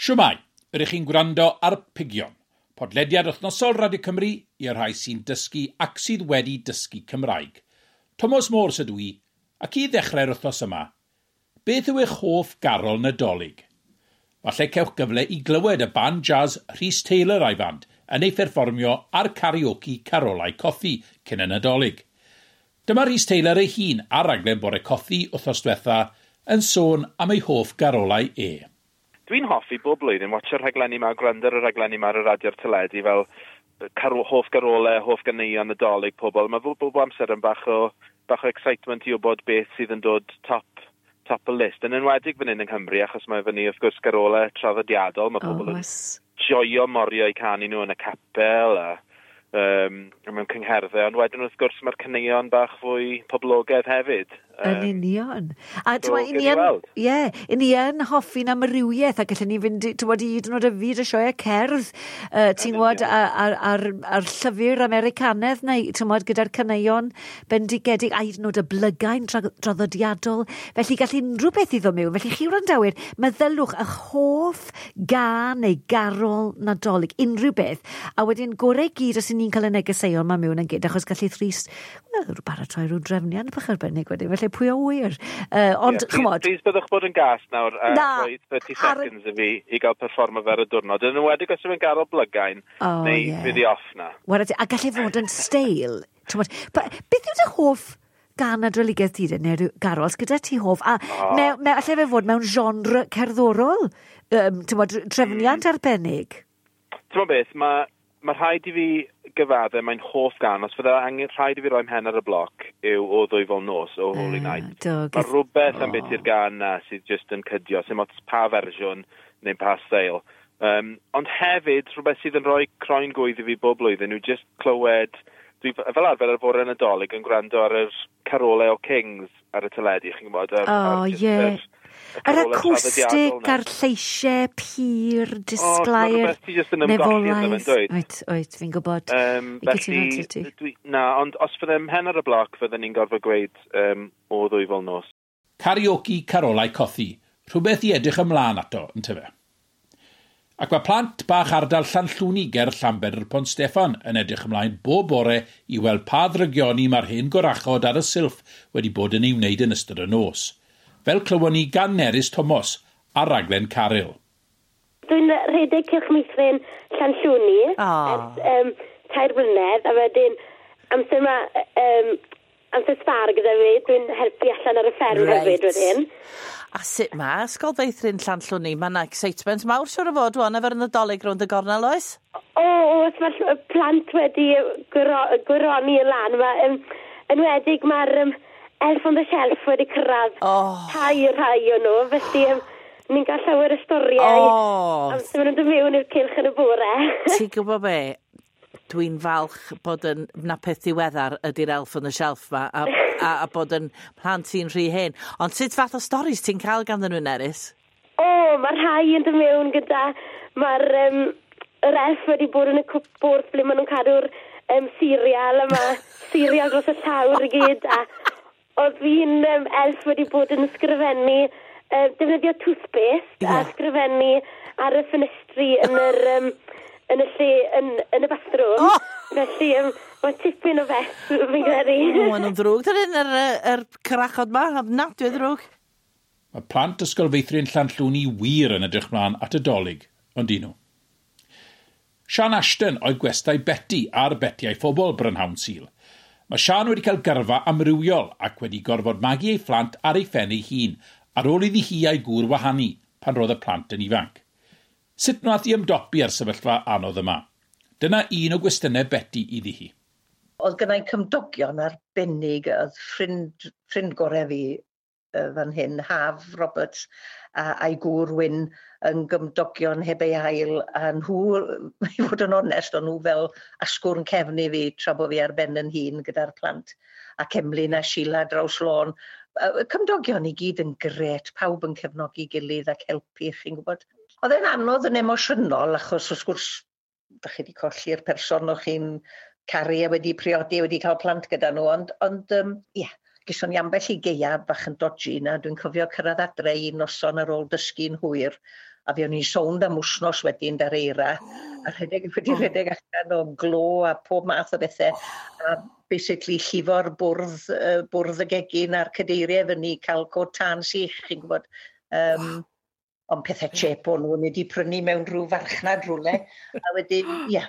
Shwmae, ydych chi'n gwrando ar Pigion, podlediad wythnosol Radio Cymru i'r rhai sy'n dysgu ac sydd wedi dysgu Cymraeg. Tomos Morse ydw i, ac i ddechrau'r wythnos yma, beth yw eich hoff garol Nadolig? Falle cewch gyfle i glywed y band jazz Rhys Taylor a'i fand yn ei pherfformio ar karaoke Carolau Cothi cyn y Nadolig. Dyma Rhys Taylor ei hun ar raglen Bore Cothi wythnos diwetha yn sôn am ei hoff garolau e. Dwi'n hoffi bob blwyddyn watcho'r rhaglenni 'ma, gwrando ar y rhaglenni 'ma ar y radio'r teledu fel hoff garolau, hoff ganeuon Nadolig pobl. Mae bob amser yn bach o excitement i wybod beth sydd yn dod top y list. Yn enwedig fan hyn yng Nghymru, achos mae fyny wrth gwrs garolau traddodiadol. Mae pobl yn joio morio i canu nhw yn y capel a mewn cyngherddau, ond wedyn wrth gwrs mae'r caneuon bach fwy poblogaidd hefyd. Yn union. A so, ni yn, ie, ni yn hoffi'n amrywiaeth a gallwn ni fynd, ti'n i hyd yn oed y fyd y sioe cerdd, ti'n gwybod, a'r llyfr Americanedd neu, ti'n gwybod, gyda'r caneuon bendigedig, a hyd yn oed y blygain draddodiadol. Felly gall unrhyw beth i ddod mewn. Felly chi wrandawyr, meddylwch eich hoff gân neu garol Nadolig, unrhyw beth. A wedyn gorau gyd os ni'n cael y negeseuon ma mewn yn gyd, achos gallu Rhys, wel, baratoi rhyw drefniant bach arbennig wedyn, felly pwy a ŵyr. Ond, yeah, chymod. Please byddwch bod yn gas nawr a rhoi 30 seconds i fi i gael perfformo fer y diwrnod. Yn enwedig os yw'n garol blygain, neu fydd i off na. Wara, a gallai fod yn steil. T'mod, beth yw dy hoff gân Nadoligaidd ti de, neu garol, gyda ti hoff, a oh. me, allai fe fod mewn genre cerddorol, t'mod, trefniant arbennig? Ti'n beth, mae rhaid i fi gyfadde, mae'n hoff gân, os fydde angen rhaid i fi roi mhen ar y bloc, yw O Ddwyfol Nos, O Holy Night. Mae rhywbeth am beth i'r gân na sydd just yn cydio, sy'n ots pa fersiwn neu pa steil. Ond hefyd, rhywbeth sydd yn rhoi croen gwydd i fi bob blwyddyn yw just clywed, dwi fel arfer ar fore Nadolig yn gwrando ar yr carolau o Kings ar y teledu, chi'n gwybod? Ar, oh, ar, ie. Yr acoustic a'r lleisiau pur, disglair, nefolaidd. Oet, oet, fi'n gwybod. Felly, dwi, na, ond os fyddem mhen ar y bloc, fydden ni'n gorfod gweud O Ddwyfol Nos. Karaoke Carolau Cothi, rhywbeth i edrych ymlaen ato, yn tyfe. Ac mae plant bach ardal Llanllwni ger Llanbedr Pont Steffan yn edrych ymlaen bob bore i weld pa ddrygioni mae'r hen gorachod ar y silff wedi bod yn ei wneud yn ystod y nos. Fel clywon ni gan Nerys Thomas ar raglen Caryl. Dwi'n rhedeg Cylch Meithrin Llanllwni ers 3 blynedd, a wedyn amser ma, amser sbar gyda fi, dwi'n helpu allan ar y fferm hefyd wedyn. A sut mae Ysgol Feithrin Llanllwni? Mae yna excitement mawr siwr o fod wan efo'r Nadolig rownd y gornel, oes? O, oes, mae'r plant wedi gwyroni yn lan. Mae, enwedig mae'r Elf on the Shelf wedi cyrraedd tai rhai o nhw, felly ni'n cael llawer o storiau amser maen nhw'n dod mewn i'r cylch yn y bore. Ti'n gwybod be? Dwi'n falch bod yn na peth diweddar ydy'r Elf on the Shelf ma a bod yn plant i'n rhy hen. Ond sut fath o storis ti'n cael ganddyn nhw, Nerys? O, mae rhai yn dod mewn gyda. Mae'r yr elf wedi bod yn y cwpwrdd ble maen nhw'n cadw'r cereal, a mae cereal dros y llawr i gyd. A oedd fi'n elf wedi bod yn ysgrifennu, defnyddio toothpaste a ysgrifennu ar y ffenestri yn y lle, yn y bathroom. Oh! Felly, mae tipyn o fes, fi'n credu. O, maen nhw'n ddrwg. Dyn yr corachod ma, ofnadwy o ddrwg. Mae plant Ysgol Feithrin Llanllwni wir yn edrych mlaen at y Dolig, ond dyn nhw. Sian Ashton oedd gwestai Betty ar Beti a'i Phobl brynhawn Sul. Mae Sian wedi cael gyrfa amrywiol ac wedi gorfod magu ei phlant ar ei phen ei hun ar ôl iddi hi a'i gŵr wahanu pan roedd y plant yn ifanc. Sut wnaeth i ymdopi ar sefyllfa anodd yma? Dyna un o gwestiynau Betty iddi hi. Oedd gennau cymdogion arbennig, oedd ffrind gorau fi fan hyn, Haf Roberts, a'i gŵr Wyn yn gymdogion heb ei ail, a nhw, i fod yn onest, o'n nhw fel asgwrn cefn i fi tra bod fi ar ben yn hun gyda'r plant, ac Emlyn a Sheila draws lôn. Cymdogion i gyd yn gret, pawb yn cefnogi gilydd ac helpu, chi'n gwybod. Oedd e'n anodd yn emosiynol, achos wrth gwrs, da chi wedi colli'r person o'ch chi'n caru a wedi priodi a wedi cael plant gyda nhw, ond ie, geson ni ambell i gaea bach yn dodgy na. Dwi'n cofio cyrraedd adre un noson ar ôl dysgu'n hwyr, A fe o'n i'n sownd am wsnos wedyn da'r eira, a rhedeg, wedi rhedeg allan o glo a pob math o bethau. A basically llifo'r bwrdd, bwrdd y gegin a'r cadeiriau fyny, cael cod tân sych, chi'n gwybod. Ond pethau chep o'n nhw, ni wedi prynu mewn rhyw farchnad rhywle. A wedyn, ie, yeah,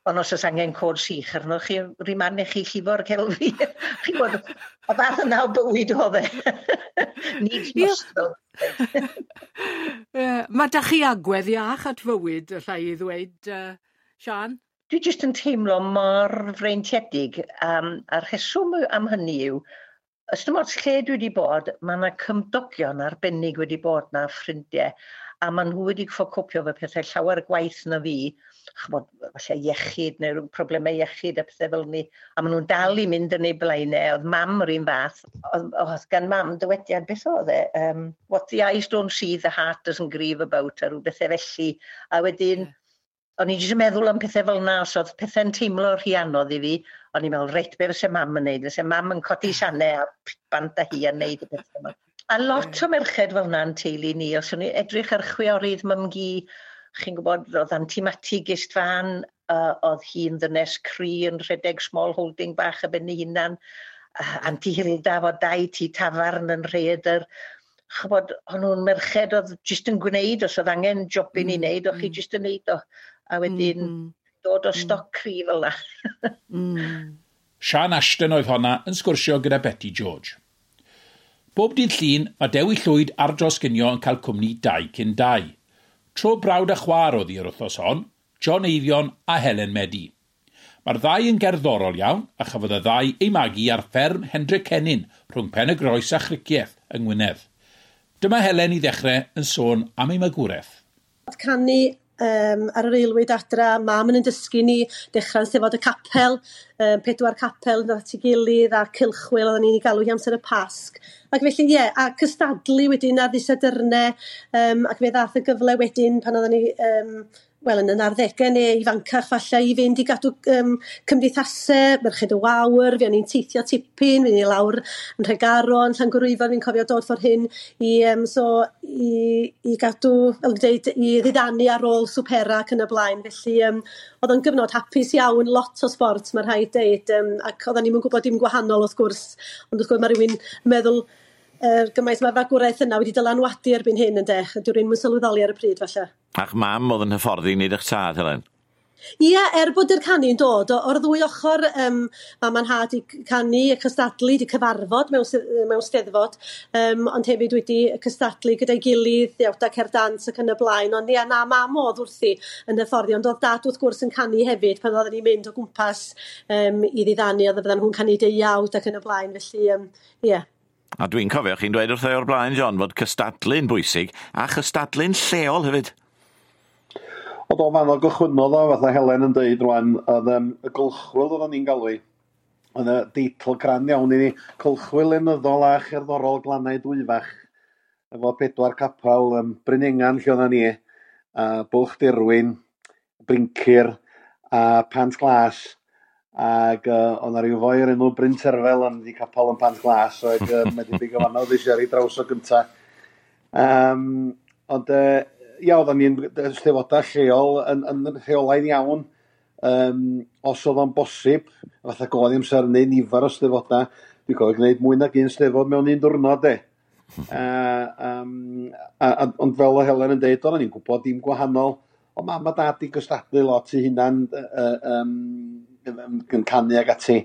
ond os oes angen cod sych arno chi, rhi man i chi llifo'r celfi. Chi'n gwybod, y fath yna o bywyd oedd e. Needs must though. Mae da chi agwedd iach at fywyd, allai i ddweud, Sian? Dwi jyst yn teimlo mor freintiedig, a'r rheswm am hynny yw, ys dim ots lle dwi wedi bod, mae yna cymdogion arbennig wedi bod na ffrindiau, a maen nhw wedi gorfod copio efo pethau llawer gwaeth na fi, ch'mod, falle iechyd neu ryw problemau iechyd a pethau fel 'ny, a maen nhw'n dal i mynd yn eu blaenau. Oedd mam yr un fath, oedd gan mam dywediad, beth oedd e? What the eyes don't see, the heart doesn't grieve about, a rhyw bethau felly. A wedyn, o'n i jyst yn meddwl am pethau fel 'na, os oedd pethau'n teimlo rhy anodd i fi, o'n i'n meddwl, reit, be fyse mam yn neud? Fyse mam yn codi sanau a bant â hi a neud y pethau yma. A lot o merched fel 'na'n teulu ni, os o'n i edrych ar chwiorydd mam-gu, chi'n gwybod, oedd Anti Mati Gist Fan, oedd hi'n ddynes cry yn rhedeg small holding bach ar ben ei hunan, Anti Hilda fo dau tŷ tafarn yn Rhaeadr. Ch'mod, o'n nhw'n merched oedd jyst yn gwneud, os oedd angen jobyn i wneud, o'ch chi jyst yn neud o. A wedyn dod o stoc cry fel 'na. Sian Ashton oedd honna yn sgwrsio gyda Betty George. Bob dydd Llun, mae Dewi Llwyd ar dros ginio yn cael cwmni 2 cyn 2. Tro brawd a chwaer oedd hi'r wythnos hon, John Eifion a Helen Medi. Mae'r ddau yn gerddorol iawn a chafodd y ddau eu magu ar fferm Hendre Cennin rhwng Pen y Groes a Chricieth yng Ngwynedd. Dyma Helen i ddechrau yn sôn am ei magwraeth. Canu ar yr aelwyd adra, mam yn dysgu ni, dechrau'n steddfod y capel, pedwar capel yn dod at ei gilydd a cylchwyl oedden ni'n ei galw hi amser y Pasg. Ac felly, ie, a cystadlu wedyn ar ddydd Sadwrnau, ac fe ddath y gyfle wedyn pan oedden ni, wel, yn y 90au neu ifancach falle, i fynd i gadw cymdeithasau, Merched y Wawr, fe o'n i'n teithio tipyn, fe o'n i lawr yn Nhregaron, Llangwyryfon, fi'n cofio dod ffordd hyn so, i gadw, fel dwi'n dweud, i ddiddanu ar ôl swpera ac yn y blaen. Felly, oedd o'n gyfnod hapus iawn, lot o sbort, mae rhaid deud, ac oedden ni'm yn gwybod dim gwahanol wrth gwrs, ond wrth gwrs mae rhywun yn meddwl gymaint mae'r fagwraeth yna wedi dylanwadu erbyn hyn, ynde, dyw rhywun ddim yn sylweddoli ar y pryd falle. A'ch mam oedd yn hyfforddi nid eich tad, Helen? Ie, er bod yr canu'n dod o'r ddwy ochr, mam a'n nhad i canu, y cystadlu, di cyfarfod mewn steddfod, ond hefyd wedi cystadlu gyda'i gilydd, iawda cerdd dant ac yn y blaen, ond ia, na, mam oedd wrthi yn hyfforddi, ond oedd dad wrth gwrs yn canu hefyd pan oedden ni'n mynd o gwmpas i ddiddanu, oedd fyddan nhw'n canu deuawd ac yn y blaen, felly, ie. A dwi'n cofio chi'n dweud wrtho i o'r blaen, John, fod cystadlu'n bwysig a chystadlu'n lleol hefyd. Oedd o fan o gychwynnodd o, fatha Helen yn deud rwan, oedd y gylchwyl oedden ni'n galw i, oedd y deitl crand iawn i ni, Cylchwyl Lenyddol a Cherddorol Glannau Dwyfach, efo pedwar capel, Bryn Engan lle oedden ni, a Bwlch Derwin, Bryncir a Pant Glas, ac oedd 'na ryw foi o'r enw Bryn Terfel yn di capel yn Pant Glas, ac mae debyg o fanno oedd eisiau ar ei draws o gynta. Ond ia, oedden ni'n steddfodau lleol yn rheolaidd iawn, os oedd o'n bosib, fatha goedd amser neu nifer o steddfodau, dwi'n cofio gwneud mwy nag un steddfod mewn un diwrnod, de. Ond fel o Helen yn deud, oedden ni'n gwybod dim gwahanol, ond mam a dad i gystadlu lot i hunan yn canu ag ati.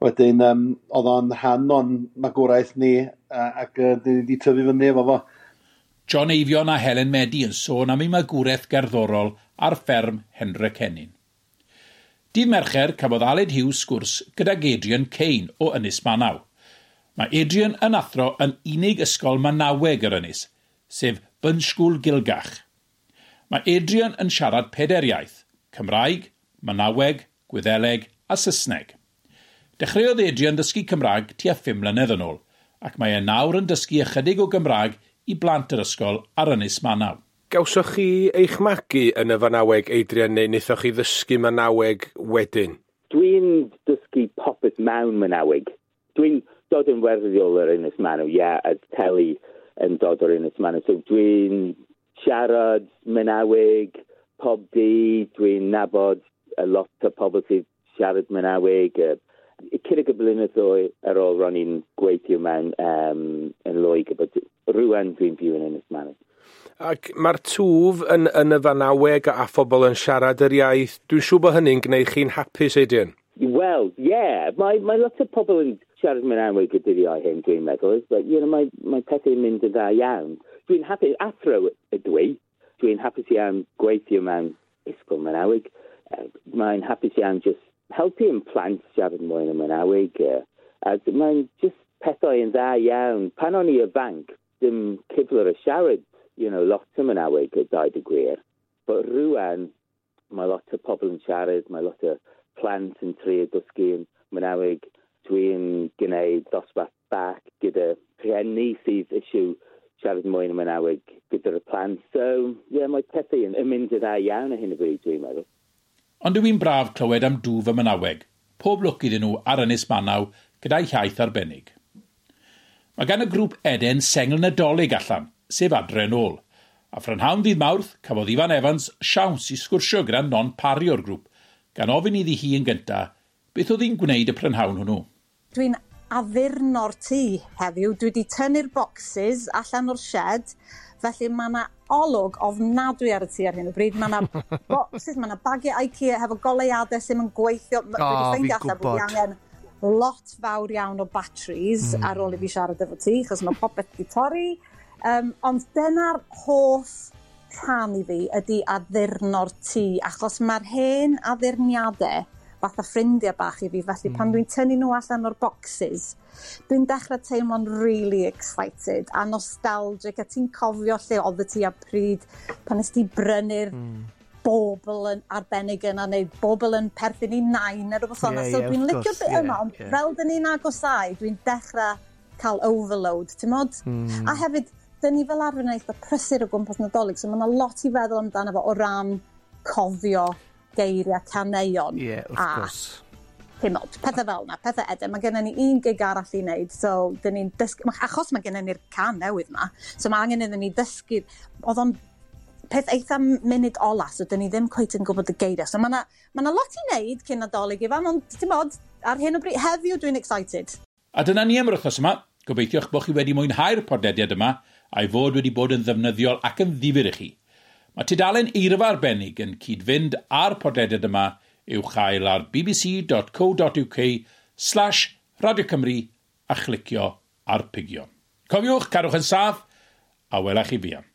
Wedyn, oedd o'n rhan o'n magwraeth ni, ac uh, di tyfu fyny efo fo. John Eifion a Helen Medi yn sôn am ei magwraeth gerddorol ar fferm Hendre Cennin. Dydd Mercher cafodd Aled Hughes sgwrs gydag Adrian Kane o Ynys Manaw. Mae Adrian yn athro yn unig ysgol Manaweg yr Ynys, sef Bunsgwl Gilgach. Mae Adrian yn siarad pedair iaith, Cymraeg, Manaweg, Gwyddeleg a Saesneg. Dechreuodd Adrian ddysgu Cymraeg tua 5 mlynedd yn ôl, ac mae e nawr yn dysgu ychydig o Gymraeg i blant yr ysgol ar Ynys Manaw. Gawsoch chi eich magu yn y Fanaweg, Adrian, neu wnaethoch chi ddysgu Manaweg wedyn? Dwi'n dysgu popeth mewn Manaweg. Dwi'n dod yn wreiddiol ar Ynys Manaw, ie, yeah, a teulu yn dod o'r Ynys Manaw. So dwi'n siarad Manaweg pob dydd, dwi'n nabod a lot o pobl sydd siarad Manaweg. Ychydig y blynyddoedd ar ôl ro'n i'n gweithio mewn yn Loegr, but rwan dwi'n byw yn Ynys Manaw. Ac mae'r twf yn y Fanaweg a phobl yn siarad yr iaith, dwi'n siŵr bod hynny'n gwneud chi'n hapus, Adrian? Wel, ie. Yeah. Mae lot o pobl yn siarad Manaweg y dyddiau hyn, dwi'n meddwl. But, mae pethau'n mynd yn dda iawn. Dwi'n hapus, athro ydw i. Dwi'n hapus iawn gweithio mewn ysgol Manaweg. Mae'n hapus iawn just helpu yn plant siarad mwy yn y Manaweg. A mae'n just pethau yn dda iawn. Pan o'n i ifanc, dim cyfle o siarad lot o Manaweg a dweud y gwir. But rwan, mae lot o pobl yn siarad, mae lot o plant yn trio dysgu yn Manaweg. Dwi'n gwneud dosbarth bach gyda rhieni sydd eisiau siarad mwy yn y Manaweg gyda'r plant. So, ie, yeah, mae pethau yn mynd yn dda iawn ar hyn o bryd, dwi'n meddwl. Ond yw hi'n braf clywed am dwf y Manaweg. Pob lwc iddyn nhw ar Ynys Manaw gyda'i hiaith arbennig. Mae gan y grŵp Eden sengl Nadolig allan, sef Adre yn ôl. A phrynhawn ddydd Mawrth, cafodd Ifan Evans siawns i sgwrsio gyda Non Parry o'r grŵp, gan ofyn iddi hi yn gyntaf beth oedd hi'n gwneud y prynhawn hwnnw. Dwi'n addurno'r tŷ heddiw. Dwi wedi tynnu'r boxes allan o'r shed, felly mae yna olwg ofnadwy ar y tŷ ar hyn o bryd. Mae yna boxes, mae yna bagiau IKEA hefo goleuadau sy'n yn gweithio. O, Dwi wedi ffeindio fi'n allan bod fi gwbod. angen lot fawr iawn o batteries ar ôl i fi siarad efo ti, achos mae popeth wedi torri. Ond dyna'r hoff rhan i fi ydy addurno'r tŷ, achos mae'r hen addurniadau fatha ffrindiau bach i fi, felly pan dwi'n tynnu nhw allan o'r boxes, dwi'n dechrau teimlo'n really excited a nostalgic, a ti'n cofio lle oedd ti a pryd pan nes ti brynu'r bobl yn arbennig yna, neu bobl yn perthyn i nain neu rhywbeth fel yna. Ie, So ie, dwi'n wrth licio'r gwrs, bit yma, ond fel dyn ni'n agosau, dwi'n dechrau cael overload, ti'n mod? A hefyd, dyn ni fel arfer yn eitha prysur o gwmpas Nadolig, so mae yna lot i feddwl amdano fo o ran cofio geiriau caneuon. Ie, wrth a gwrs. Ti'n mod, pethau fel yna, pethau Eden. Mae gennym ni un gig arall i wneud, so dyn ni'n dysgu, achos mae gennym ni'r can newydd yma, so mae angen iddyn ni ddysgu, oedd o'n peth eitha munud ola, so dyn ni ddim cweit yn gwybod y geiriau. So mae yna ma lot i wneud cyn Nadolig, Ifan, ond ti'n mod, ar hyn o bryd, heddiw dwi'n excited. A dyna ni am yr wythnos yma. Gobeithio'ch bod chi wedi mwynhau'r podlediad yma a'i fod wedi bod yn ddefnyddiol ac yn ddifyr i chi. Mae tudalen eirfa arbennig yn cyd-fynd â'r podlediad yma i'w chael ar bbc.co.uk/Radio Cymru a chlicio ar pigion. Cofiwch, cadwch yn saff a welach chi fuan.